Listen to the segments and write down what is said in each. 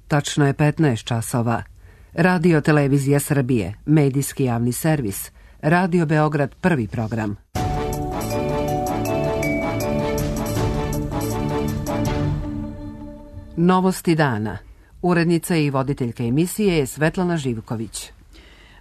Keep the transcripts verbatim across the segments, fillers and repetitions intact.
Tačno je petnaest časova. Radio Televizija Srbije, medijski javni servis, Radio Beograd prvi program. Novosti dana. Urednica i voditeljka emisije je Svetlana Živković.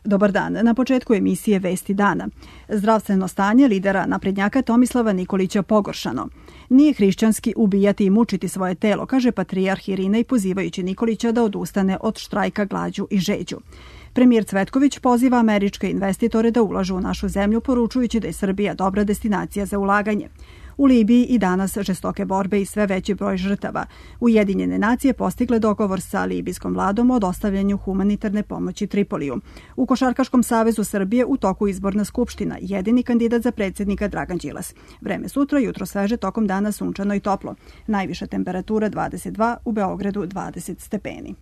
Dobar dan. Na početku emisije Vesti dana. Zdravstveno stanje lidera naprednjaka Tomislava Nikolića pogoršano. Nije hrišćanski ubijati i mučiti svoje telo, kaže patrijarh Irinej pozivajući Nikolića da odustane od štrajka glađu i žeđu. Premijer Cvetković poziva američke investitore da ulažu u našu zemlju, poručujući da je Srbija dobra destinacija za ulaganje. U Libiji i danas žestoke borbe i sve veći broj žrtava. Ujedinjene nacije postigle dogovor sa libijskom vladom o dostavljanju humanitarne pomoći Tripoliju. U Košarkaškom savezu Srbije u toku izborna skupština, jedini kandidat za predsjednika Dragan Đilas. Vreme sutra, jutro sveže, tokom dana sunčano i toplo. Najviša temperatura dvadeset dva, u Beogradu dvadeset stepeni.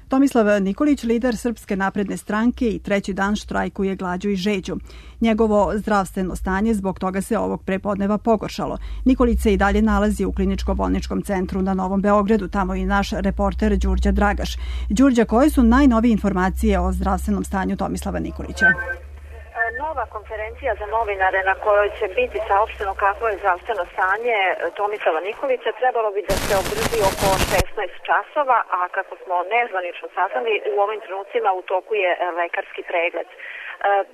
Tomislav Nikolić, lider Srpske napredne stranke, i treći dan štrajkuje glađu i žeđu. Njegovo zdravstveno stanje zbog toga se ovog prepodneva pogoršalo. Nikolić se i dalje nalazi u kliničko-bolničkom centru na Novom Beogradu, tamo i naš reporter Đurđa Dragaš. Đurđa, koje su najnovije informacije o zdravstvenom stanju Tomislava Nikolića? Nova konferencija za novinare na kojoj će biti saopšteno kakvo je zdravstveno stanje Tomislava Nikolića trebalo bi da se održi oko šesnaest časova, a kako smo nezvanično saznali, u ovim trenucima u toku je lekarski pregled.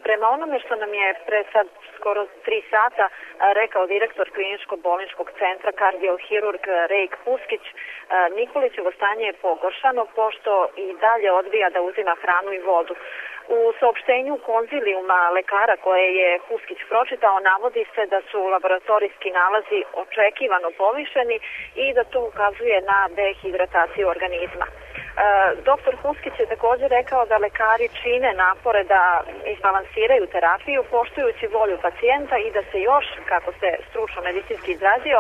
Prema onome što nam je pre sad skoro tri sata rekao direktor kliničko-bolničkog centra kardiohirurg Rejk Puskić, Nikolićevo stanje je pogoršano pošto i dalje odbija da uzima hranu i vodu. U saopštenju konzilijuma lekara koje je Puskić pročitao navodi se da su laboratorijski nalazi očekivano povišeni i da to ukazuje na dehidrataciju organizma. Doktor Puskić je također rekao da lekari čine napore da izbalansiraju terapiju poštujući volju pacijenta i da se još, kako se stručno medicinski izrazio,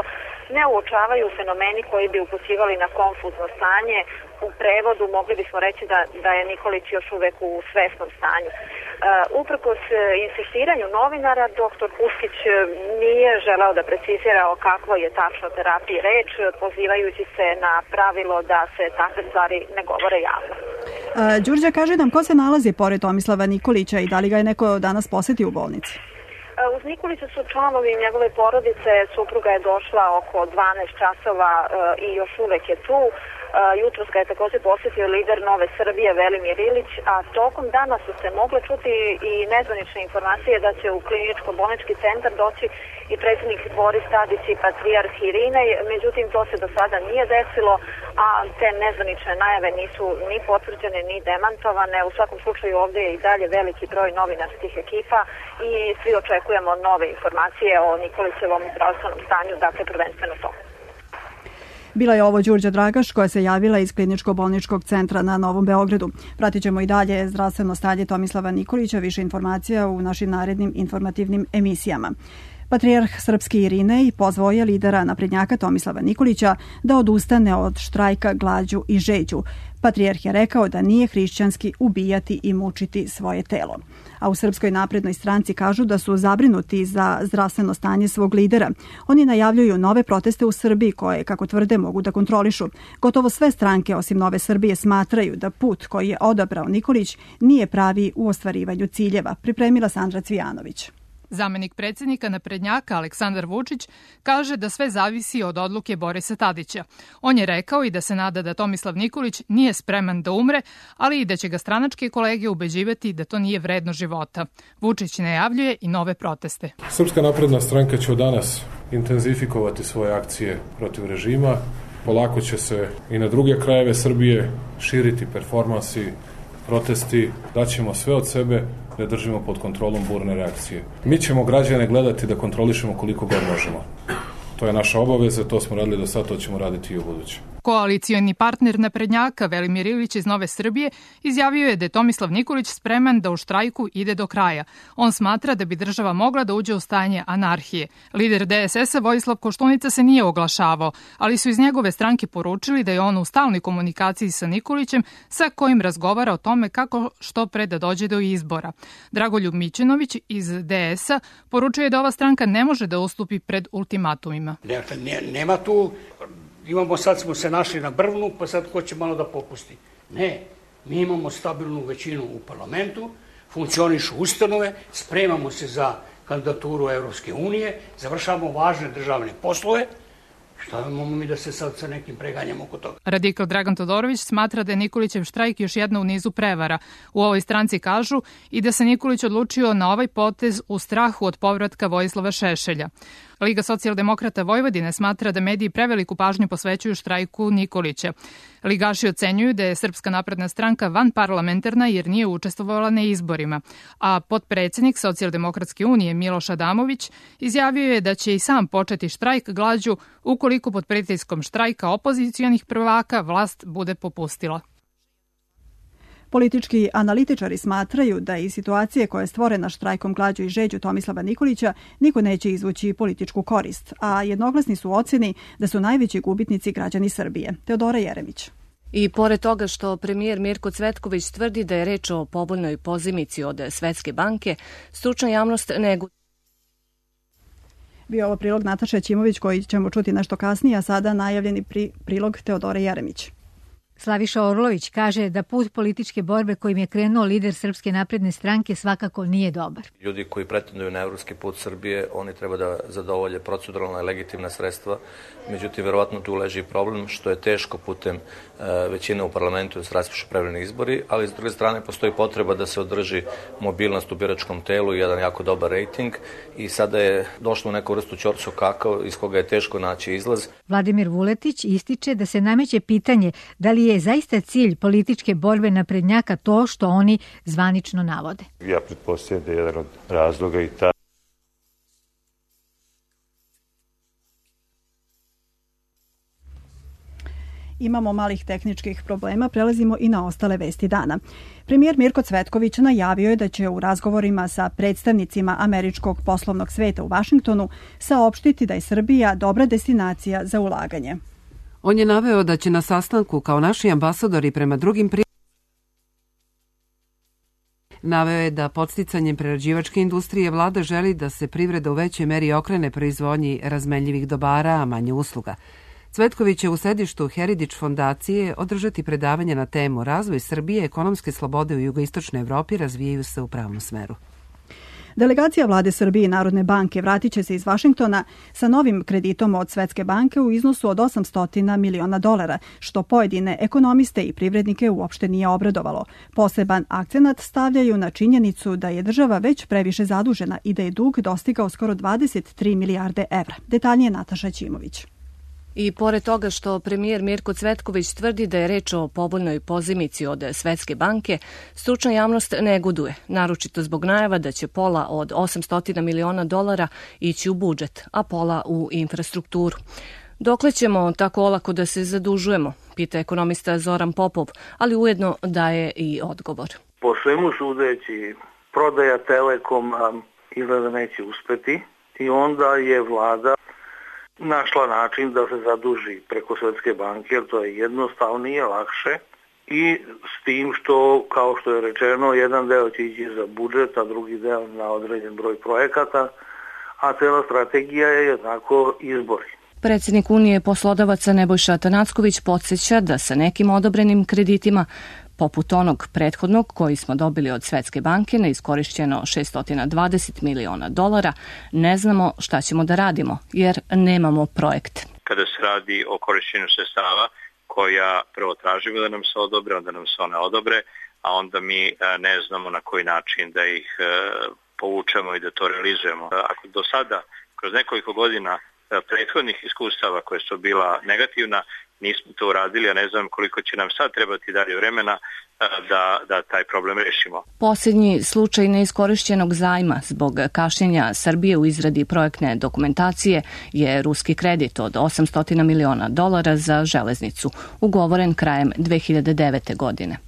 ne uočavaju fenomeni koji bi upućivali na konfuzno stanje. U prevodu mogli bismo reći da, da je Nikolić još uvek u svesnom stanju. Uh, uprkos insistiranju novinara, doktor Puskić nije želeo da precizira o kakvoj je tačno terapiji reč, pozivajući se na pravilo da se takve stvari ne govore javno. Uh, Đurđa, kaže nam ko se nalazi pored Tomislava Nikolića i da li ga je neko danas posetio u bolnici? Uz Nikolića su članovi njegove porodice, supruga je došla oko dvanaest časova i još uvek je tu. Jutros ga je također posjetio lider Nove Srbije Velimir Ilić, a tokom dana su se mogle čuti i nezvanične informacije da će u kliničko-bolnički centar doći i predsjednik Boris Tadić i patrijarh Irinej, međutim to se do sada nije desilo, a te nezvanične najave nisu ni potvrđene ni demantovane. U svakom slučaju ovdje je i dalje veliki broj novinarskih ekipa i svi očekujemo nove informacije o Nikolićevom zdravstvenom stanju, dakle prvenstveno to. Bila je ovo Đurđa Dragaš koja se javila iz kliničko-bolničkog centra na Novom Beogradu. Pratit ćemo i dalje zdravstveno stanje Tomislava Nikolića, više informacija u našim narednim informativnim emisijama. Patrijarh Srpski Irinej pozvao je lidera naprednjaka Tomislava Nikolića da odustane od štrajka glađu i žeđu. Patrijarh je rekao da nije hrišćanski ubijati i mučiti svoje telo. A u Srpskoj naprednoj stranci kažu da su zabrinuti za zdravstveno stanje svog lidera. Oni najavljuju nove proteste u Srbiji koje, kako tvrde, mogu da kontrolišu. Gotovo sve stranke osim Nove Srbije smatraju da put koji je odabrao Nikolić nije pravi u ostvarivanju ciljeva, pripremila Sandra Cvijanović. Zamenik predsjednika naprednjaka Aleksandar Vučić kaže da sve zavisi od odluke Borisa Tadića. On je rekao i da se nada da Tomislav Nikolić nije spreman da umre, ali i da će ga stranačke kolege ubeđivati da to nije vredno života. Vučić najavljuje i nove proteste. Srpska napredna stranka će od danas intenzifikovati svoje akcije protiv režima. Polako će se i na druge krajeve Srbije širiti performansi, protesti, daćemo sve od sebe da držimo pod kontrolom burne reakcije. Mi ćemo građane gledati da kontrolišemo koliko god možemo. To je naša obaveza, to smo radili do sada, to ćemo raditi i u buduće. Koalicioni partner naprednjaka Velimir Ilić iz Nove Srbije izjavio je da je Tomislav Nikolić spreman da u štrajku ide do kraja. On smatra da bi država mogla da uđe u stanje anarhije. Lider D S S-a Vojislav Koštunica se nije oglašavao, ali su iz njegove stranke poručili da je on u stalnoj komunikaciji sa Nikolićem, sa kojim razgovara o tome kako što pre da dođe do izbora. Dragoljub Mićunović iz D S-a poručuje da ova stranka ne može da ustupi pred ultimatumima. Dakle, ne, nema tu Imamo, sad smo se našli na brvnu, pa sad hoće malo da popusti. Ne, mi imamo stabilnu većinu u parlamentu, funkcionišu ustanove, spremamo se za kandidaturu Evropske unije, završavamo važne državne poslove. Šta imamo mi da se sad sa nekim preganjamo oko toga? Radikal Dragan Todorović smatra da je Nikolićev štrajk još jedna u nizu prevara. U ovoj stranci kažu i da se Nikolić odlučio na ovaj potez u strahu od povratka Vojislava Šešelja. Liga socijaldemokrata Vojvodine smatra da mediji preveliku pažnju posvećuju štrajku Nikolića. Ligaši ocenjuju da je Srpska napredna stranka vanparlamentarna jer nije učestvovala na izborima, a potpredsednik Socijaldemokratske unije Miloš Adamović izjavio je da će i sam početi štrajk glađu ukoliko pod pritiskom štrajka opozicijonih prvaka vlast bude popustila. Politički analitičari smatraju da iz situacije koja je stvorena štrajkom glađu i žeđu Tomislava Nikolića niko neće izvući političku korist, a jednoglasni su oceni da su najveći gubitnici građani Srbije. Teodora Jeremić. I pored toga što premijer Mirko Cvetković tvrdi da je reč o povoljnoj pozimici od Svetske banke, stručna javnost neguje. Bio ovo prilog Nataše Ćimović koji ćemo čuti nešto kasnije, a sada najavljeni pri, prilog Teodore Jeremić. Slaviša Orlović kaže da put političke borbe kojim je krenuo lider Srpske napredne stranke svakako nije dobar. Ljudi koji pretenduju na evropski put Srbije, oni treba da zadovolje proceduralna i legitimna sredstva. Međutim, verovatno tu leži problem što je teško putem većine u parlamentu da se raspišu prevremeni izbori, ali s druge strane postoji potreba da se održi mobilnost u biračkom telu i jedan jako dobar rejting i sada je došlo u neku vrstu ćorsu kakao iz koga je teško naći izlaz. Vladimir Vuletić ističe da se nameće pitanje da li je zaista cilj političke borbe naprednjaka to što oni zvanično navode. Ja pretpostavljam da je jedan od razloga i ta. Imamo malih tehničkih problema, prelazimo i na ostale vesti dana. Premijer Mirko Cvetković najavio je da će u razgovorima sa predstavnicima američkog poslovnog sveta u Vašingtonu saopštiti da je Srbija dobra destinacija za ulaganje. On je naveo da će na sastanku kao naši ambasadori prema drugim pri... Naveo je da podsticanjem prerađivačke industrije vlada želi da se privreda u većoj meri okrene proizvodnji razmenljivih dobara, a manje usluga. Cvetković će u sedištu Heritage fondacije održati predavanje na temu Razvoj Srbije, ekonomske slobode u jugoistočnoj Evropi razvijaju se u pravom smeru. Delegacija vlade Srbije i Narodne banke vratit će se iz Vašingtona sa novim kreditom od Svetske banke u iznosu od osamsto miliona dolara, što pojedine ekonomiste i privrednike uopšte nije obradovalo. Poseban akcenat stavljaju na činjenicu da je država već previše zadužena i da je dug dostigao skoro dvadeset tri milijarde evra. Detaljnije Nataša Ćimović. I pored toga što premijer Mirko Cvetković tvrdi da je reč o povoljnoj pozimici od Svetske banke, stručna javnost neguduje, naročito zbog najava da će pola od osamsto miliona dolara ići u budžet, a pola u infrastrukturu. Dokle ćemo tako olako da se zadužujemo, pita ekonomista Zoran Popov, ali ujedno daje i odgovor. Po svemu sudeći, prodaja Telekoma izgleda neće uspeti i onda je vlada našla način da se zaduži preko Svetske banke, jer to je jednostavnije, lakše i s tim što, kao što je rečeno, jedan deo će ići za budžet, a drugi deo na određen broj projekata, a cela strategija je jednako izbori. Predsjednik Unije poslodavaca Nebojša Atanacković podsjeća da sa nekim odobrenim kreditima, poput onog prethodnog koji smo dobili od Svetske banke na iskorišćeno šessto dvadeset miliona dolara, ne znamo šta ćemo da radimo, jer nemamo projekt. Kada se radi o korišćenju sredstava koja prvo tražimo da nam se odobre, onda nam se one odobre, a onda mi ne znamo na koji način da ih povučemo i da to realizujemo. Ako do sada, kroz nekoliko godina prethodnih iskustava koje su bila negativna, nismo to uradili, a ne znam koliko će nam sad trebati dalje vremena da, da taj problem rešimo. Posljednji slučaj neiskorišćenog zajma zbog kašnjenja Srbije u izradi projektne dokumentacije je ruski kredit od osamsto miliona dolara za železnicu, ugovoren krajem dve hiljade devete. godine.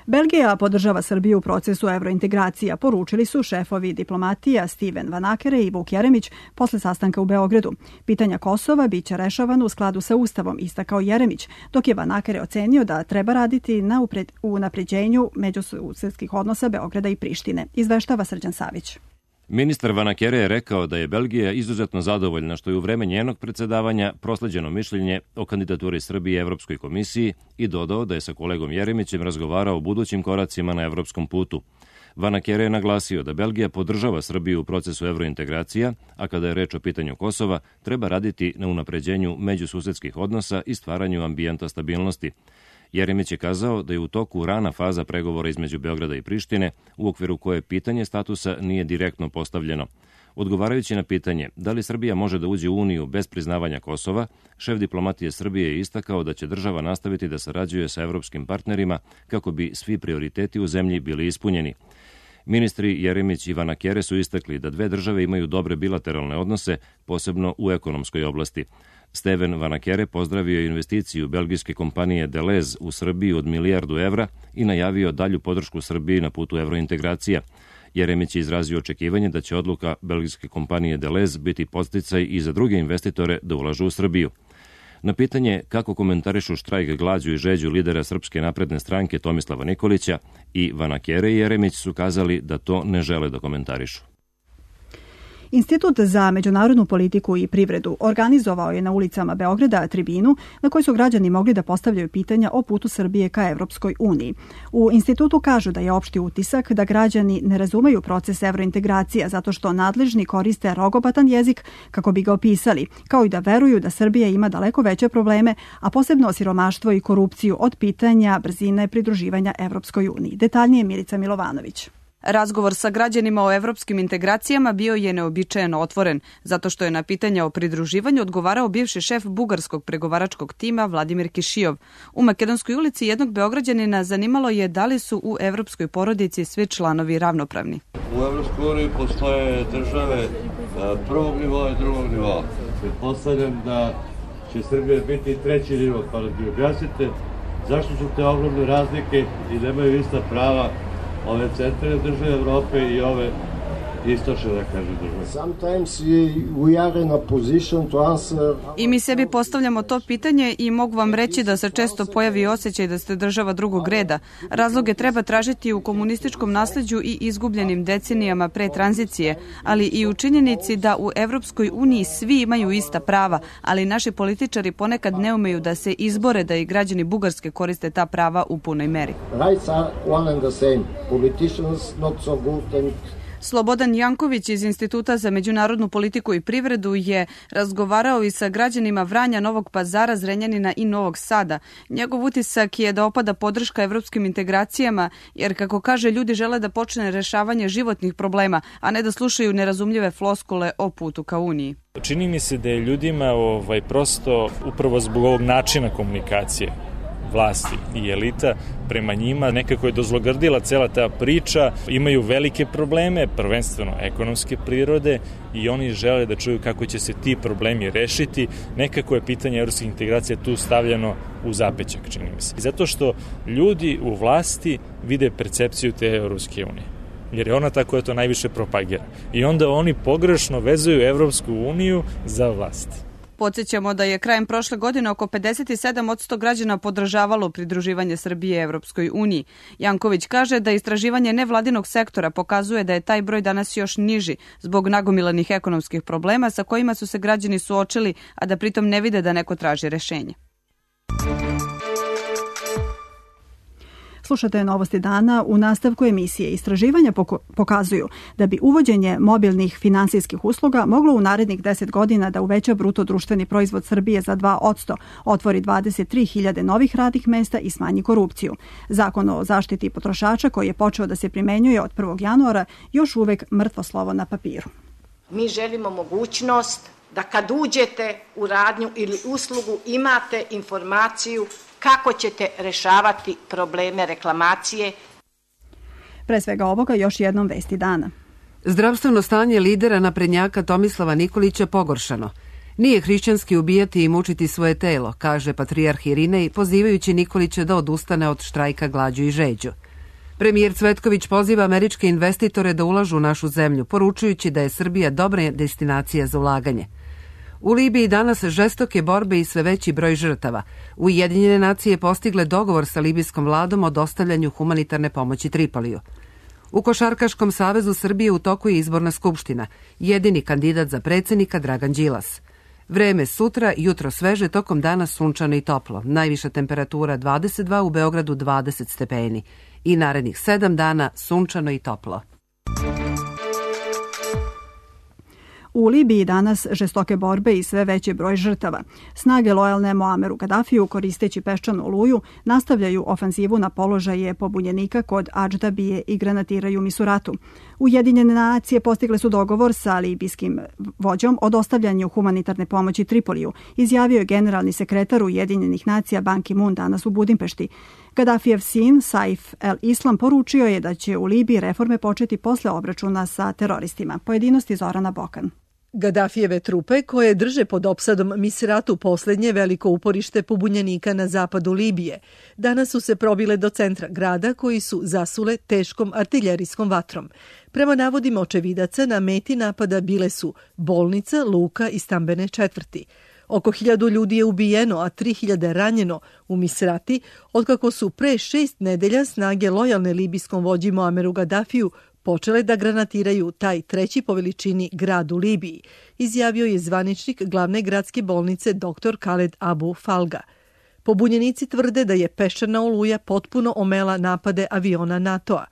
Belgija podržava Srbiju u procesu evrointegracija, poručili su šefovi diplomatija Steven Van Akere i Vuk Jeremić posle sastanka u Beogradu. Pitanja Kosova biće rešavano u skladu sa Ustavom, istakao Jeremić, dok je Van Akere ocenio da treba raditi na unapređenju međususedskih odnosa Beograda i Prištine. Izveštava Srđan Savić. Ministar Vanakere je rekao da je Belgija izuzetno zadovoljna što je u vreme njenog predsedavanja prosleđeno mišljenje o kandidaturi Srbije Evropskoj komisiji i dodao da je sa kolegom Jeremićem razgovarao o budućim koracima na evropskom putu. Vanakere je naglasio da Belgija podržava Srbiju u procesu evrointegracija, a kada je reč o pitanju Kosova, treba raditi na unapređenju međususedskih odnosa i stvaranju ambijenta stabilnosti. Jeremić je kazao da je u toku rana faza pregovora između Beograda i Prištine, u okviru koje pitanje statusa nije direktno postavljeno. Odgovarajući na pitanje da li Srbija može da uđe u Uniju bez priznavanja Kosova, šef diplomatije Srbije je istakao da će država nastaviti da sarađuje sa evropskim partnerima kako bi svi prioriteti u zemlji bili ispunjeni. Ministri Jeremić i Vanakere su istakli da dve države imaju dobre bilateralne odnose, posebno u ekonomskoj oblasti. Steven Vanakere pozdravio investiciju belgijske kompanije Deleuze u Srbiji od milijardu evra i najavio dalju podršku Srbiji na putu evrointegracija. Jeremić je izrazio očekivanje da će odluka belgijske kompanije Deleuze biti podsticaj i za druge investitore da ulažu u Srbiju. Na pitanje kako komentarišu štrajk glađu i žeđu lidera Srpske napredne stranke Tomislava Nikolića, i Vanakere i Jeremić su kazali da to ne žele da komentarišu. Institut za međunarodnu politiku i privredu organizovao je na ulicama Beograda tribinu na kojoj su građani mogli da postavljaju pitanja o putu Srbije ka Evropskoj uniji. U institutu kažu da je opšti utisak da građani ne razumeju proces evrointegracija zato što nadležni koriste rogobatan jezik kako bi ga opisali, kao i da veruju da Srbija ima daleko veće probleme, a posebno siromaštvo i korupciju od pitanja brzine pridruživanja Evropskoj uniji. Detaljnije Milica Milovanović. Razgovor sa građanima o evropskim integracijama bio je neobičajeno otvoren, zato što je na pitanja o pridruživanju odgovarao bivši šef bugarskog pregovaračkog tima Vladimir Kišijov. U Makedonskoj ulici jednog Beograđanina zanimalo je da li su u evropskoj porodici svi članovi ravnopravni. U Evropskoj uniji postoje države prvog nivoa i drugog nivoa. Pretpostavljam da će Srbija biti treći nivo, pa da mi objasnite zašto su te ogromne razlike i nemaju ista prava ove centralne države Evrope i ove istočne, da kažem, države. Sometimes we are in a position to answer. I mi sebi postavljamo to pitanje i mogu vam reći da se često pojavi osjećaj da ste država drugog reda. Razloge treba tražiti u komunističkom nasleđu i izgubljenim decenijama pre tranzicije, ali i u činjenici da u Evropskoj uniji svi imaju ista prava, ali naši političari ponekad ne umeju da se izbore da i građani Bugarske koriste ta prava u punoj meri. Rights are one and the same. Politicians not so good and Slobodan Janković iz Instituta za međunarodnu politiku i privredu je razgovarao i sa građanima Vranja, Novog Pazara, Zrenjanina i Novog Sada. Njegov utisak je da opada podrška evropskim integracijama, jer, kako kaže, ljudi žele da počne rešavanje životnih problema, a ne da slušaju nerazumljive floskule o putu ka Uniji. Čini mi se da je ljudima ovaj, prosto upravo zbog ovog načina komunikacije vlasti i elita prema njima nekako je dozlogrdila cela ta priča, imaju velike probleme, prvenstveno ekonomske prirode, i oni žele da čuju kako će se ti problemi rešiti. Nekako je pitanje evropskih integracija tu stavljeno u zapećak, čini mi se. Zato što ljudi u vlasti vide percepciju te Evropske unije, jer je ona ta koja to najviše propagira. I onda oni pogrešno vezuju Evropsku uniju za vlast. Podsjećamo da je krajem prošle godine oko pedeset sedam posto građana podržavalo pridruživanje Srbije Evropskoj uniji. Janković kaže da istraživanje nevladinog sektora pokazuje da je taj broj danas još niži zbog nagomilanih ekonomskih problema sa kojima su se građani suočili, a da pritom ne vide da neko traži rešenje. Slušate Novosti dana. U nastavku emisije istraživanja pokazuju da bi uvođenje mobilnih finansijskih usluga moglo u narednih deset godina da uveća bruto društveni proizvod Srbije za dva posto, otvori dvadeset tri hiljade novih radnih mesta i smanji korupciju. Zakon o zaštiti potrošača, koji je počeo da se primenjuje od prvog januara, još uvek mrtvo slovo na papiru. Mi želimo mogućnost da kad uđete u radnju ili uslugu imate informaciju kako ćete rešavati probleme reklamacije. Pre svega ovoga još jednom vesti dana. Zdravstveno stanje lidera naprednjaka Tomislava Nikolića pogoršano. Nije hrišćanski ubijati i mučiti svoje telo, kaže patrijarh Irinej, pozivajući Nikolića da odustane od štrajka glađu i žeđu. Premijer Cvetković poziva američke investitore da ulažu u našu zemlju, poručujući da je Srbija dobra destinacija za ulaganje. U Libiji danas žestoke borbe i sve veći broj žrtava. Ujedinjene nacije postigle dogovor sa libijskom vladom o dostavljanju humanitarne pomoći Tripoliju. U Košarkaškom savezu Srbije u toku je izborna skupština. Jedini kandidat za predsjednika Dragan Đilas. Vreme sutra, jutro sveže, tokom dana sunčano i toplo. Najviša temperatura dvadeset dva, u Beogradu dvadeset stepeni. I narednih sedam dana sunčano i toplo. U Libiji danas žestoke borbe i sve veći broj žrtava. Snage lojalne Muameru Kadafiju, koristeći peščanu oluju, nastavljaju ofanzivu na položaje pobunjenika kod Adždabije i granatiraju Misuratu. Ujedinjene nacije postigle su dogovor sa libijskim vođom o dostavljanju humanitarne pomoći Tripoliju, izjavio je generalni sekretar Ujedinjenih nacija Ban Ki-moon danas u Budimpešti. Kadafijev sin, Saif el-Islam, poručio je da će u Libiji reforme početi posle obračuna sa teroristima. Pojedinosti Zorana Bokan. Gadafijeve trupe, koje drže pod opsadom Misratu posljednje veliko uporište pobunjenika na zapadu Libije, danas su se probile do centra grada koji su zasule teškom artiljerijskom vatrom. Prema navodima očevidaca, na meti napada bile su bolnica, luka i stambene četvrti. Oko hiljadu ljudi je ubijeno, a tri hiljade ranjeno u Misrati, otkako su pre šest nedelja snage lojalne libijskom vođi Muameru Gadafiju počele da granatiraju taj treći po veličini grad u Libiji, izjavio je zvaničnik glavne gradske bolnice dr. Khaled Abu Falga. Pobunjenici tvrde da je peščana oluja potpuno omela napade aviona NATO-a.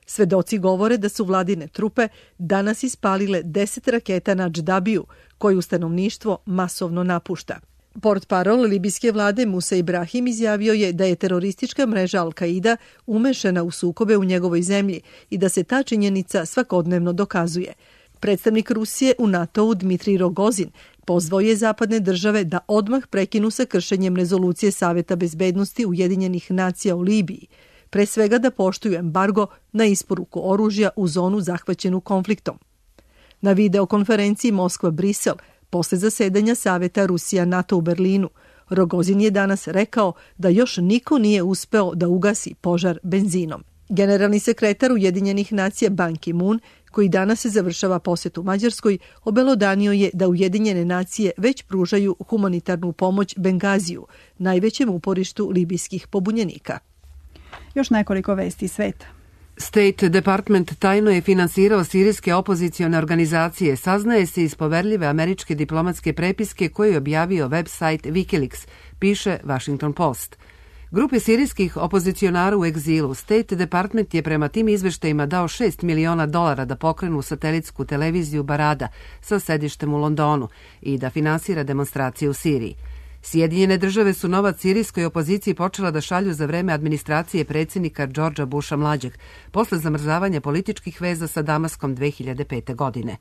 Svedoci govore da su vladine trupe danas ispalile deset raketa na Adždabiju, koju stanovništvo masovno napušta. Portparol libijske vlade Musa Ibrahim izjavio je da je teroristička mreža Al-Qaida umešana u sukobe u njegovoj zemlji i da se ta činjenica svakodnevno dokazuje. Predstavnik Rusije u NATO-u Dmitrij Rogozin pozvao je zapadne države da odmah prekinu sa kršenjem rezolucije Saveta bezbednosti Ujedinjenih nacija u Libiji, pre svega da poštuju embargo na isporuku oružja u zonu zahvaćenu konfliktom. Na videokonferenciji Moskva-Brisel, posle zasedanja Saveta Rusija-NATO u Berlinu, Rogozin je danas rekao da još niko nije uspeo da ugasi požar benzinom. Generalni sekretar Ujedinjenih nacija Ban Ki-moon, koji danas se završava posjet u Mađarskoj, obelodanio je da Ujedinjene nacije već pružaju humanitarnu pomoć Bengaziju, najvećem uporištu libijskih pobunjenika. Još nekoliko vesti sveta. State Department tajno je finansirao sirijske opozicione organizacije, saznaje se iz poverljive američke diplomatske prepiske koju je objavio website Wikileaks, piše Washington Post. Grupe sirijskih opozicionara u egzilu State Department je prema tim izveštajima dao šest miliona dolara da pokrenu satelitsku televiziju Barada sa sedištem u Londonu i da finansira demonstracije u Siriji. Sjedinjene države su novac sirijskoj opoziciji počela da šalju za vreme administracije predsjednika Georgea Busha mlađeg, posle zamrzavanja političkih veza sa Damaskom dve hiljade pete. godine.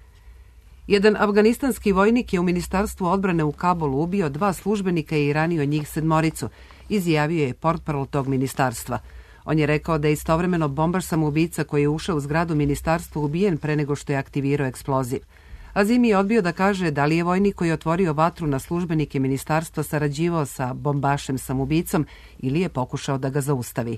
Jedan afganistanski vojnik je u Ministarstvu odbrane u Kabulu ubio dva službenika i ranio njih sedmoricu, izjavio je portparol tog ministarstva. On je rekao da je istovremeno bombaš samoubica koji je ušao u zgradu ministarstva ubijen pre nego što je aktivirao eksploziv. Azimi je odbio da kaže da li je vojnik koji je otvorio vatru na službenike ministarstva sarađivao sa bombašem samoubicom ili je pokušao da ga zaustavi.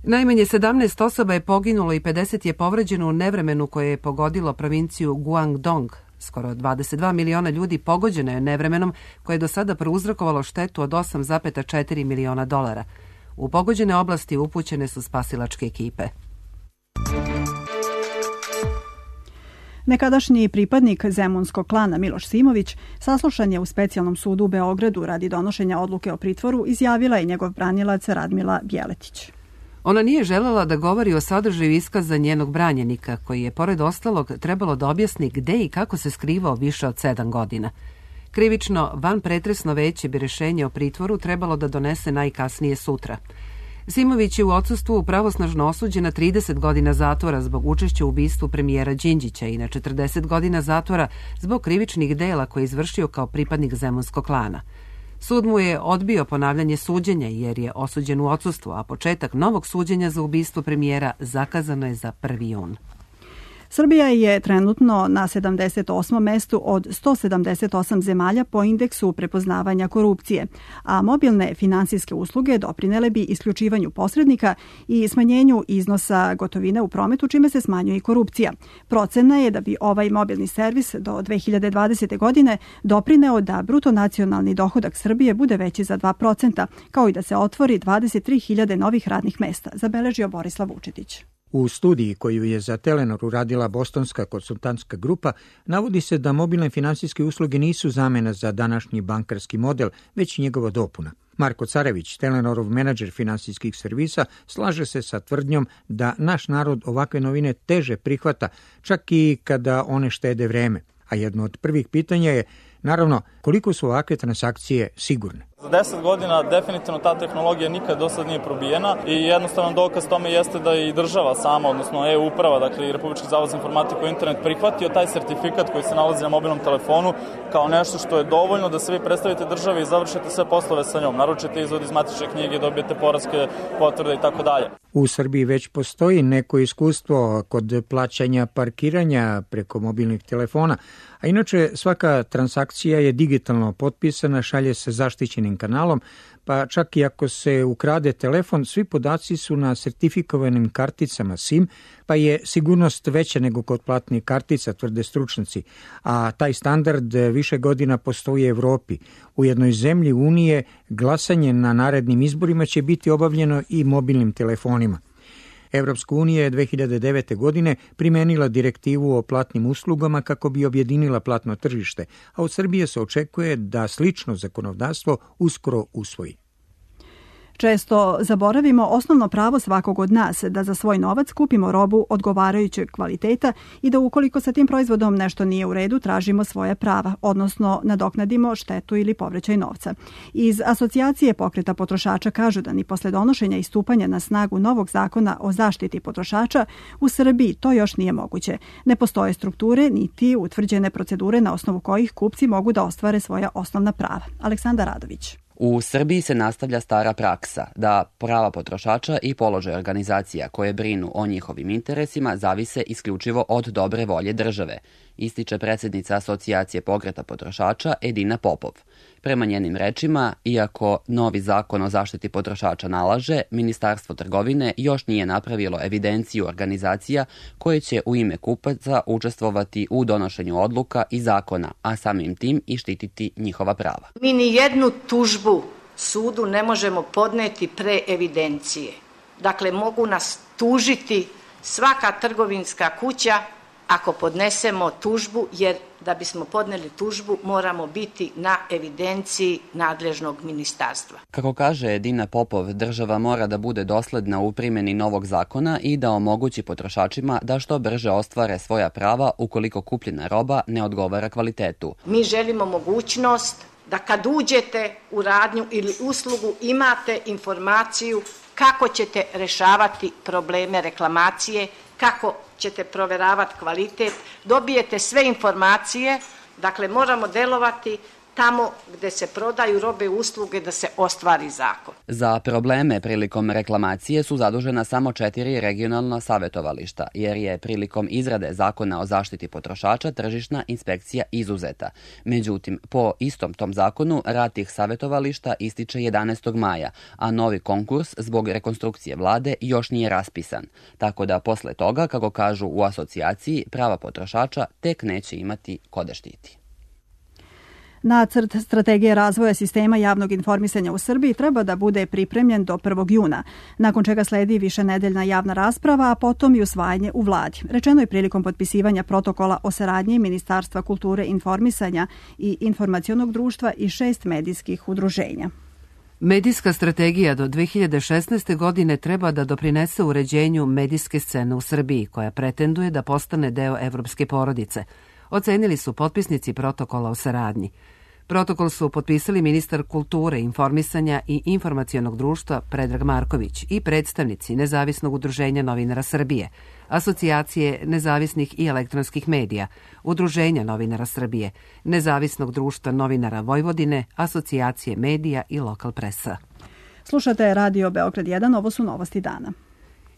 Najmanje sedamnaest osoba je poginulo i pedeset je povređeno u nevremenu koje je pogodilo provinciju Guangdong. Skoro dvadeset dva miliona ljudi pogođeno je nevremenom koje je do sada prouzrokovalo štetu od osam zarez četiri miliona dolara. U pogođene oblasti upućene su spasilačke ekipe. Nekadašnji pripadnik zemunskog klana Miloš Simović saslušan je u specijalnom sudu u Beogradu radi donošenja odluke o pritvoru, izjavila je njegov branilac Radmila Bjeletić. Ona nije želela da govori o sadržaju iskaza njenog branjenika, koji je, pored ostalog, trebalo da objasni gde i kako se skrivao više od sedam godina. Krivično, vanpretresno veće bi rešenje o pritvoru trebalo da donese najkasnije sutra. Simović je u odsustvu pravosnažno osuđen na trideset godina zatvora zbog učešća u ubistvu premijera Đinđića i na četrdeset godina zatvora zbog krivičnih dela koje je izvršio kao pripadnik zemunskog klana. Sud mu je odbio ponavljanje suđenja jer je osuđen u odsustvu, a početak novog suđenja za ubistvo premijera zakazano je za prvi jun. Srbija je trenutno na sedamdeset osmom mestu od sto sedamdeset osam zemalja po indeksu prepoznavanja korupcije, a mobilne finansijske usluge doprinele bi isključivanju posrednika i smanjenju iznosa gotovine u prometu, čime se smanjuje i korupcija. Procena je da bi ovaj mobilni servis do dve hiljade dvadesete. godine doprineo da bruto nacionalni dohodak Srbije bude veći za dva procenta, kao i da se otvori dvadeset tri hiljade novih radnih mesta, zabeležio Borislav Vučetić. U studiji koju je za Telenor uradila bostonska konsultantska grupa navodi se da mobilne finansijske usluge nisu zamena za današnji bankarski model, već njegova dopuna. Marko Carević, Telenorov menadžer finansijskih servisa, slaže se sa tvrdnjom da naš narod ovakve novine teže prihvata, čak i kada one štede vreme. A jedno od prvih pitanja je, naravno, koliko su ovakve transakcije sigurne. Za deset godina definitivno ta tehnologija nikad do sad nije probijena i jednostavan dokaz tome jeste da je i država sama, odnosno e-uprava, dakle i Republički zavod za informatiku i internet prihvatio taj sertifikat koji se nalazi na mobilnom telefonu kao nešto što je dovoljno da se vi predstavite državi i završite sve poslove sa njom. Naručite izvod iz matične knjige, dobijete poreske potvrde i tako dalje. U Srbiji već postoji neko iskustvo kod plaćanja parkiranja preko mobilnih telefona, a inače svaka transakcija je digitalno potpisana, šalje se zaštićenim kanalom, pa čak i ako se ukrade telefon, svi podaci su na sertifikovanim karticama SIM, pa je sigurnost veća nego kod platnih kartica, tvrde stručnjaci, a taj standard više godina postoji u Evropi. U jednoj zemlji Unije glasanje na narednim izborima će biti obavljeno i mobilnim telefonima. Evropska unija je dve hiljade devete. godine primenila direktivu o platnim uslugama kako bi objedinila platno tržište, a od Srbije se očekuje da slično zakonodavstvo uskoro usvoji. Često zaboravimo osnovno pravo svakog od nas da za svoj novac kupimo robu odgovarajućeg kvaliteta i da ukoliko sa tim proizvodom nešto nije u redu, tražimo svoje prava, odnosno nadoknadimo štetu ili povraćaj novca. Iz Asocijacije pokreta potrošača kažu da ni posle donošenja i stupanja na snagu novog zakona o zaštiti potrošača u Srbiji to još nije moguće. Ne postoje strukture niti utvrđene procedure na osnovu kojih kupci mogu da ostvare svoja osnovna prava. Aleksandar Radović. U Srbiji se nastavlja stara praksa da prava potrošača i položaj organizacija koje brinu o njihovim interesima zavise isključivo od dobre volje države, ističe predsjednica Asocijacije pokreta potrošača Edina Popov. Prema njenim rečima, iako novi zakon o zaštiti potrošača nalaže, Ministarstvo trgovine još nije napravilo evidenciju organizacija koje će u ime kupaca učestvovati u donošenju odluka i zakona, a samim tim i štititi njihova prava. Mi ni jednu tužbu sudu ne možemo podneti pre evidencije. Dakle, mogu nas tužiti svaka trgovinska kuća ako podnesemo tužbu, jer da bismo podneli tužbu moramo biti na evidenciji nadležnog ministarstva. Kako kaže Edina Popov, država mora da bude dosledna u primjeni novog zakona i da omogući potrošačima da što brže ostvare svoja prava ukoliko kupljena roba ne odgovara kvalitetu. Mi želimo mogućnost da kad uđete u radnju ili uslugu imate informaciju kako ćete rešavati probleme reklamacije, kako ćete proveravati kvalitet, dobijete sve informacije, dakle moramo delovati tamo gde se prodaju robe i usluge da se ostvari zakon. Za probleme prilikom reklamacije su zadužena samo četiri regionalna savjetovališta, jer je prilikom izrade zakona o zaštiti potrošača tržišna inspekcija izuzeta. Međutim, po istom tom zakonu rad tih savjetovališta ističe jedanaestog maja, a novi konkurs zbog rekonstrukcije vlade još nije raspisan. Tako da posle toga, kako kažu u asocijaciji, prava potrošača tek neće imati ko da štiti. Nacrt strategije razvoja sistema javnog informisanja u Srbiji treba da bude pripremljen do prvog juna, nakon čega sledi višenedeljna javna rasprava, a potom i usvajanje u vladi. Rečeno je prilikom potpisivanja protokola o saradnji Ministarstva kulture, informisanja i informacionog društva i šest medijskih udruženja. Medijska strategija do dve hiljade šesnaeste. godine treba da doprinese uređenju medijske scene u Srbiji, koja pretenduje da postane deo evropske porodice, ocenili su potpisnici protokola o saradnji. Protokol su potpisali ministar kulture, informisanja i informacionog društva Predrag Marković i predstavnici Nezavisnog udruženja novinara Srbije, Asocijacije nezavisnih i elektronskih medija, Udruženja novinara Srbije, Nezavisnog društva novinara Vojvodine, Asocijacije medija i Lokal presa. Slušate Radio Beograd jedan, ovo su novosti dana.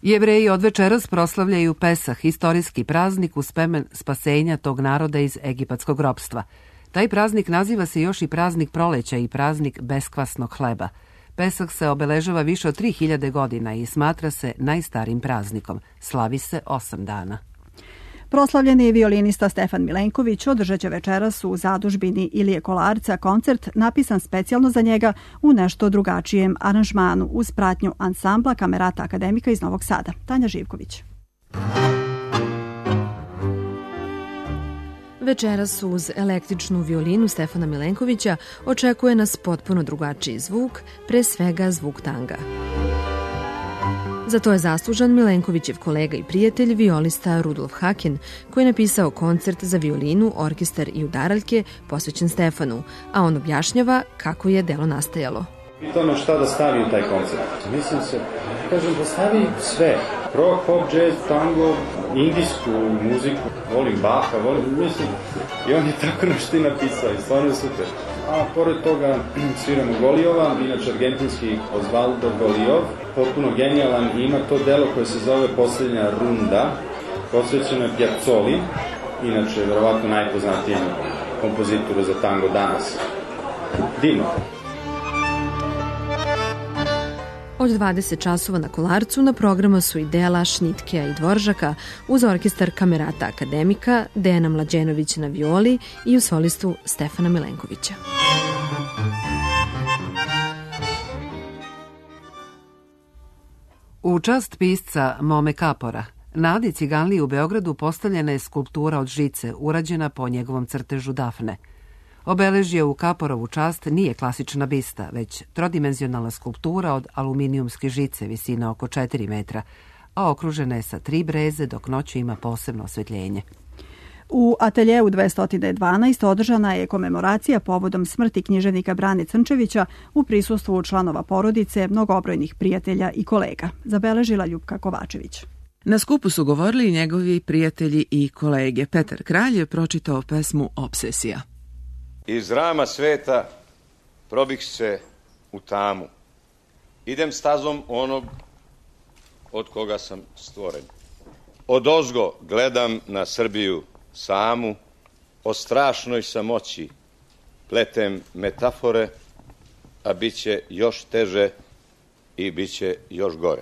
Jevreji od večeras proslavljaju Pesah, istorijski praznik u spomen spasenja tog naroda iz egipatskog ropstva. Taj praznik naziva se još i praznik proleća i praznik beskvasnog hleba. Pesah se obeležava više od tri hiljade godina i smatra se najstarijim praznikom. Slavi se osam dana. Proslavljeni violinista Stefan Milenković održat će večeras u zadužbini Ilije Kolarca koncert napisan specijalno za njega u nešto drugačijem aranžmanu uz pratnju ansambla Kamerata akademika iz Novog Sada. Tanja Živković. Večeras uz električnu violinu Stefana Milenkovića očekuje nas potpuno drugačiji zvuk, pre svega zvuk tanga. Za to je zaslužan Milenkovićev kolega i prijatelj, violista Rudolf Haken, koji je napisao koncert za violinu, orkestar i udaraljke posvećen Stefanu, a on objašnjava kako je delo nastajalo. Pitao me šta da stavi u taj koncert. Mislim se, kažem da stavi sve. Rock, pop, jazz, tango, indijsku muziku, volim Baha, volim, mislim, i on je tako nešto i napisao i stvarno je super. A pored toga sviramo Golijova, inače argentinski Osvaldo Golijov, potpuno genijalan i ima to delo koje se zove Posljednja runda, posvećeno je Piazzoli, inače verovatno najpoznatijem kompozitoru za tango danas. Divno. Od dvadeset časova na Kolarcu na programu su i dela Šnitkea i Dvoržaka uz orkestar Kamerata Akademika, Dejana Mlađenovića na violi i u solistu Stefana Milenkovića. U čast pisca Mome Kapora, na Adi Ciganliji u Beogradu postavljena je skulptura od žice, urađena po njegovom crtežu Dafne. Obeležje u Kaporovu čast nije klasična bista, već trodimenzionalna skulptura od aluminijumske žice visine oko četiri metra, a okružena je sa tri breze dok noću ima posebno osvetljenje. U ateljeu dvesta dvanaest održana je komemoracija povodom smrti književnika Brane Crnčevića u prisustvu članova porodice, mnogobrojnih prijatelja i kolega, zabeležila Ljupka Kovačević. Na skupu su govorili i njegovi prijatelji i kolege. Petar Kralj je pročitao pesmu Obsesija. Iz rama sveta probih se u tamu. Idem stazom onog od koga sam stvoren. Odozgo gledam na Srbiju samu, o strašnoj samoći pletem metafore, a bit će još teže i bit će još gore.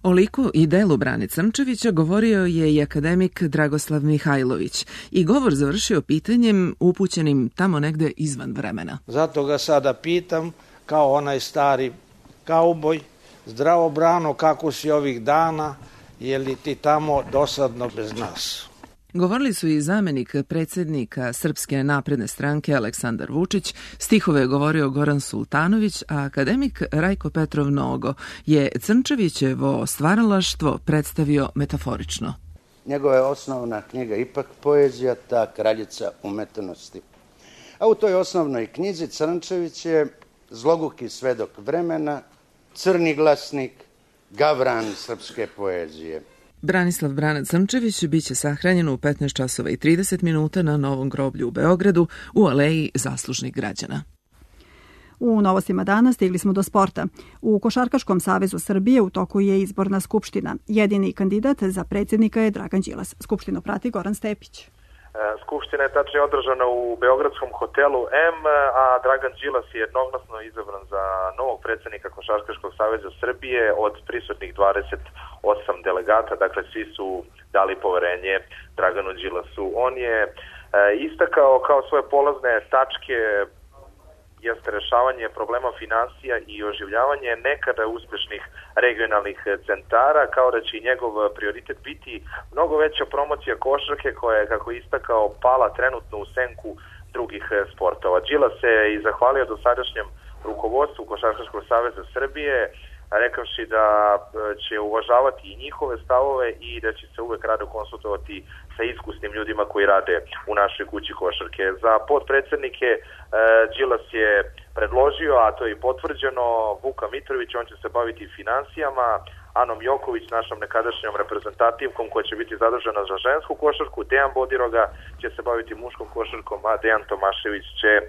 O liku i delu Brane Crnčevića govorio je i akademik Dragoslav Mihajlović i govor završio pitanjem upućenim tamo negde izvan vremena. Zato ga sada pitam, kao onaj stari kauboj, zdravo Brano, kako si ovih dana, je li ti tamo dosadno bez nas? Govorili su i zamenik predsjednika Srpske napredne stranke Aleksandar Vučić, stihove je govorio Goran Sultanović, a akademik Rajko Petrov Nogo je Crnčevićevo stvaralaštvo predstavio metaforično. Njegova je osnovna knjiga ipak poezija, ta kraljica umetnosti. A u toj osnovnoj knjizi Crnčević je zloguki svedok vremena, crni glasnik, gavran srpske poezije. Branislav Brana Crnčević biće sahranjen u petnaest časova i trideset minuta na Novom groblju u Beogradu u aleji zaslužnih građana. U novostima dana stigli smo do sporta. U Košarkaškom savezu Srbije u toku je izborna skupština. Jedini kandidat za predsjednika je Dragan Đilas. Skupštinu prati Goran Stepić. Skupština je tačnije održana u Beogradskom hotelu M, a Dragan Đilas je jednoglasno izabran za novog predsjednika Košarkaškog saveza Srbije od prisutnih dvadeset osam delegata, dakle svi su dali poverenje Draganu Đilasu. On je istakao kao svoje polazne tačke jeste rešavanje problema finansija i oživljavanje nekada uspešnih regionalnih centara, kao da će njegov prioritet biti mnogo veća promocija košarke koja je, kako je istakao, pala trenutno u senku drugih sportova. Đilas se i zahvalio dosadašnjem rukovodstvu Košarkaškog saveza Srbije, rekavši da će uvažavati i njihove stavove i da će se uvek rado konsultovati sa iskusnim ljudima koji rade u našoj kući košarke. Za potpredsjednike Đilas je predložio, a to je i potvrđeno, Vuka Mitrović, on će se baviti finansijama, Anom Joković, našom nekadašnjom reprezentativkom koja će biti zadužena za žensku košarku, Dejan Bodiroga će se baviti muškom košarkom, a Dejan Tomašević će e,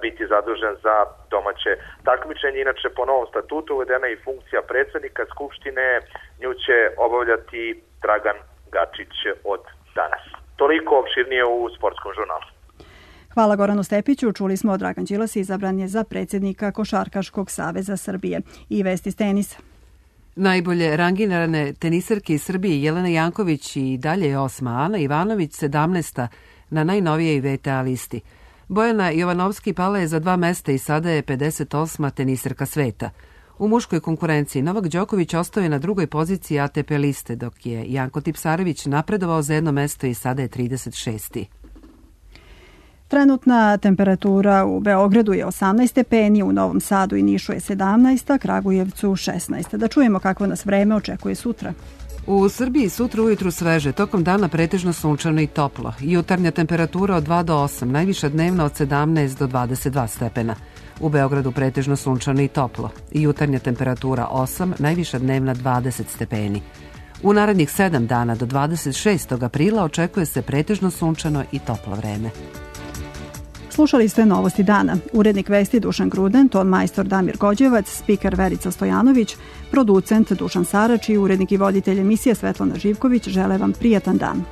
biti zadužen za domaće takmičenje. Inače, po novom statutu uvedena je i funkcija predsjednika Skupštine, nju će obavljati Dragan Gačić od danas. Toliko opširnije u sportskom žurnalu. Hvala Goranu Stepiću. Čuli smo Dragan Đilas izabran je za predsjednika Košarkaškog saveza Srbije. I vesti s tenisa. Najbolje rangirane tenisarke iz Srbije Jelena Janković i dalje je osma, Ana Ivanović sedamnaesta na najnovijej V T A listi. Bojana Jovanovski pala je za dva mesta i sada je pedeset osma tenisarka sveta. U muškoj konkurenciji Novak Đoković ostao je na drugoj poziciji A T P liste, dok je Janko Tipsarević napredovao za jedno mesto i sada je trideset šesti. Trenutna temperatura u Beogradu je osamnaest stepeni, u Novom Sadu i Nišu je sedamnaest, a Kragujevcu šesnaest. Da čujemo kakvo nas vreme očekuje sutra. U Srbiji sutra ujutru sveže, tokom dana pretežno sunčano i toplo. Jutarnja temperatura od dva do osam, najviša dnevna od sedamnaest do dvadeset dva stepena. U Beogradu pretežno sunčano i toplo. Jutarnja temperatura osam, najviša dnevna dvadeset stepeni. U narednih sedam dana do dvadeset šestog aprila očekuje se pretežno sunčano i toplo vreme. Slušali ste Novosti dana. Urednik vesti Dušan Gruden, ton majstor Damir Gođevac, spiker Verica Stojanović, producent Dušan Sarač i urednik i voditelj emisije Svetlana Živković žele vam prijatan dan.